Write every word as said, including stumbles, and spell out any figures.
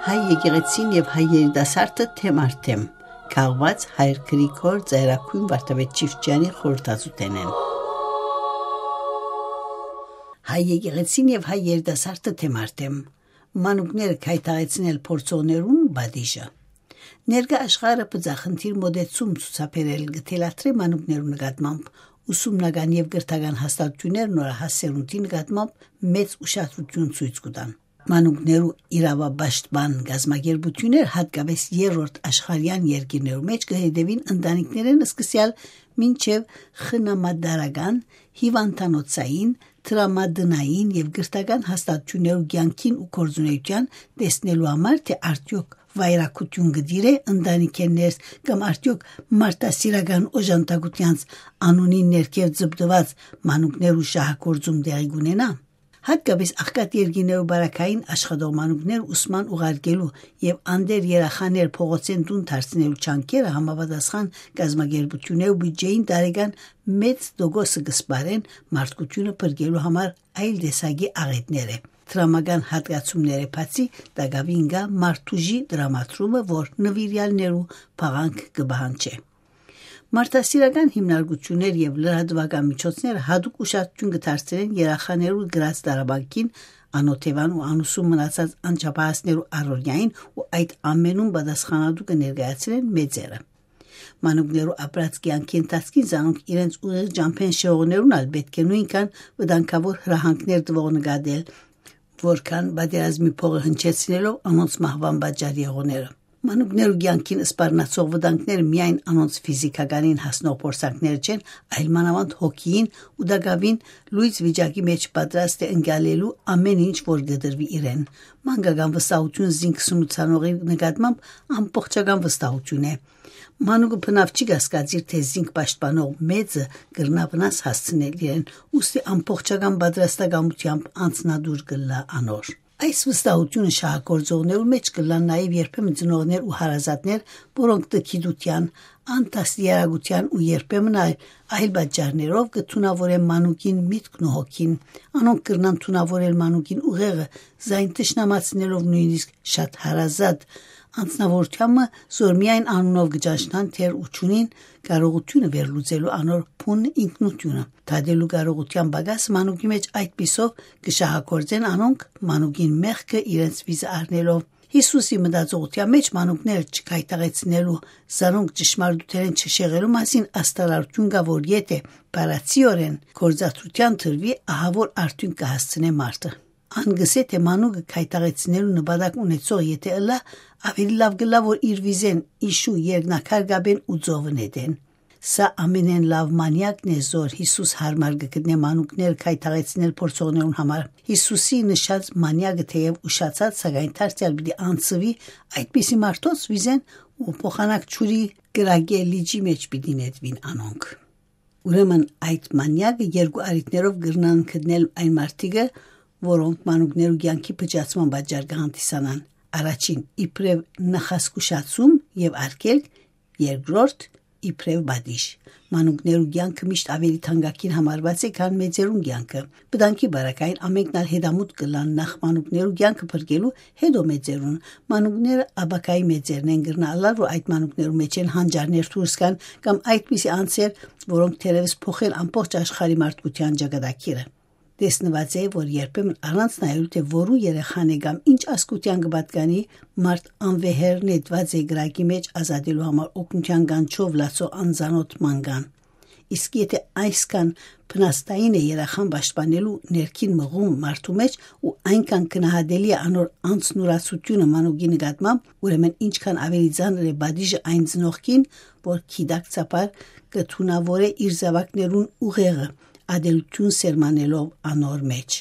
Հայ եկեղեցին եւ հայ երիտասարդը թեմ առ թեմ, քաղուած հայր Գրիգոր Ծայրագոյն Վարդապետ Չիֆճեանի խորհրդածութենէն։ Հայ եկեղեցին եւ հայ երիտասարդը թեմ առ թեմ, մանուկները քայթաղեցնել փորձողներուն պատիժը։ Ներկայ աշխարհը բծախնդիր մօտեցում ցուցաբերել կը թելադրէ մանուկներու նկատմամբ, ուսումնական եւ կրթական հաստատութիւններ նորահաս սերունդի նկատմամբ մեծ ուշադրութիւն ցոյց կու տան։ Մանուկներու իրաւապաշտպան կազմակերպութիւններ, յատկապէս երրորդ աշխարհեան երկիրներու մէջ, կը հետեւին ընտանիքներէն սկսեալ մինչեւ խնամատարական, հիւանդանոցային, դրամատնային եւ կրթական հաստատութիւններու կեանքին ու գործունեութեան, տեսնելու համար, թէ արդեօք վայրագութիւն կը տիրէ ընտանիքէն ներս կամ արդեօք մարդասիրական օժանդակութեանց անունին ներքեւ ձպտուած մանուկներու շահագործում տեղի կունենայ։ Յատկապէս աղքատ երկիրներու պարագային աշխատող մանուկներ ուսման ուղարկելու եւ անտեր երախաներ փողոցէն տուն դարձնելու ջանքերը համապատասխան կազմակերպութիւններու բիւդճէին տարեկան մեծ տոկոսը կը սպառեն մարդկութիւնը փրկելու համար այլ տեսակի աղէտները։ Դրամական յատկացումները բացի, տակաւին կայ մարդուժի դրամատրումը, որ նուիրեալներու փաղանգ կը պահանջէ։ Մարդասիրական հիմնարկութիւններ եւ լրատուական միջոցները յատուկ ուշադրութիւն կը դարձնեն երախաներու գրած տառապանքին, անօթեւան ու անուսուն մնացած անչափահասներու առօրեային ու այդ ամենուն պատասխանատու կը ներկայացնեն մեծերը։ Մանուկներու ապրած կեանքի ընթացքին զանոնք իրենց ուղիղ ճամբէն շեղողներուն ալ պէտք է նոյնքան վտանգաւոր հրահանգներ տուող նկատել, որքան պատերազմի փողը հնչեցնելով անոնց մահուան պատճառ եղողները։ Մանուկներու կեանքին սպառնացող վտանգները միայն անոնց ֆիզիքականին հասնող փորձանքները չեն, այլ մանաւանդ հոգիին ու տակաւին լոյծ վիճակի մէջ պատրաստ է ընկալելու ամէն ինչ, որ կը տրուի իրեն։ Մանկական վստահութիւն զինք սնուցանողի նկատմամբ ամբողջական վստահութիւն է։ Մանուկը բնաւ չի կասկածիր, թէ զինք պաշտպանող մեծը կրնայ վնաս հասցնել իրեն, ուստի ամբողջական պատրաստակամութեամբ անձնատուր կ'ըլլայ անոր։ Այս վստահութիւնը շահագործողներու մէջ կ'ըլլան նաեւ երբեմն ծնողներ ու հարազատներ, որոնք տգիտութեան, անդաստիարակութեան ու երբեմն այլ, այլ պատճառներով կը թունաւորեն մանուկին միտքն ու հոգին։ Անոնք կրնան թունաւորել մանուկին ուղեղը, զայն թշնամացնելով նոյնիսկ շատ հարազատ անձնաւորութեան մը, զոր միայն անունով կը ճանչնան, թեր ու չունին կարողութիւնը վերլուծելու անոր բուն ինքնութիւնը։ Դատելու կարողութեան պակասը մանուկի մէջ այդպիսով կը շահագործեն անոնք, մանուկին մեղքը իրենց վիզը առնելով։ Յիսուսի մտածողութեան մէջ մանուկները չքայթաղեցնելու, զանոնք ճշմարտութենէն չշեղելու մասին աստարարութիւն կայ, որ եթէ բառացիօրէն գործադրութեան դրուի, ահա որ արդիւնք կը հասցնէ մարդը։ Ան կ'ըսէ, թէ մանուկը քայթաղեցնելու նպատակ ունեցող եթէ ըլլայ, աւելի լաւ կ'ըլլայ, որ իր վիզէն իշու երկնակար կապեն ու ծովը նետեն։ Սա ամենէն լաւ մանիակն է, զոր Յիսուս յարմար կը գտնէ մանուկները քայթաղեցնել փորձողներուն համար։ Յիսուսի նշած մանիակը թէեւ ուշացած, սակայն դարձեալ պիտի անցուի այդպիսի մարդոց վիզէն ու փոխանակ ջուրի կրակէ լիճի մէջ պիտի նետուին անոնք։ Ուրեմն այդ մանիակը երկու առիթներով կրնան գտնել այն մարդիկը, որոնք մանուկներու կեանքի փճացման պատճառ կը հանդիսանան։ Առաջին, իբրեւ նախազգուշացում եւ արգելք, երկրորդ, իբրեւ պատիժ։ Մանուկներու կեանքը միշտ աւելի թանկագին համարուած է, քան մեծերուն կեանքը։ Վտանգի պարագային ամենքն ալ հետամուտ կ'ըլլան նախ մանուկներու կեանքը փրկելու, հետո մեծերուն։ Մանուկները ապագայի մեծերն են, կրնայ ըլլալ, որ այդ մանուկներու մէջէն հանճարներ դուրս գան կամ այդպիսի անձեր, որոնք թերեւս փոխեն ամբողջ աշխարհի մարդկութեան ճակատագիրը։ Տեսնուած է, որ երբեմն առանց նայելու, թէ որու երեխան է կամ ինչ ազգութեան կը պատկանի, մարդ անվեհեր նետուած է կրակի մէջ ազատելու համար օգնութեան կանչով լացող անծանօթ մանկան։ Իսկ եթէ այսքան փնաստային է երախան պաշտպանելու ներքին մղում մարդու մէջ ու այնքան գնահատելի է անոր անձնուրացութիւնը մանուկի նկատմամբ, ուրեմն ինչքան աւելի ծանր է պատիժը այն ծնողքին, որ գիտակցաբար կը թունաւորէ իր զաւակներուն ուղեղը, ատելութիւն սերմանելով անոր մէջ։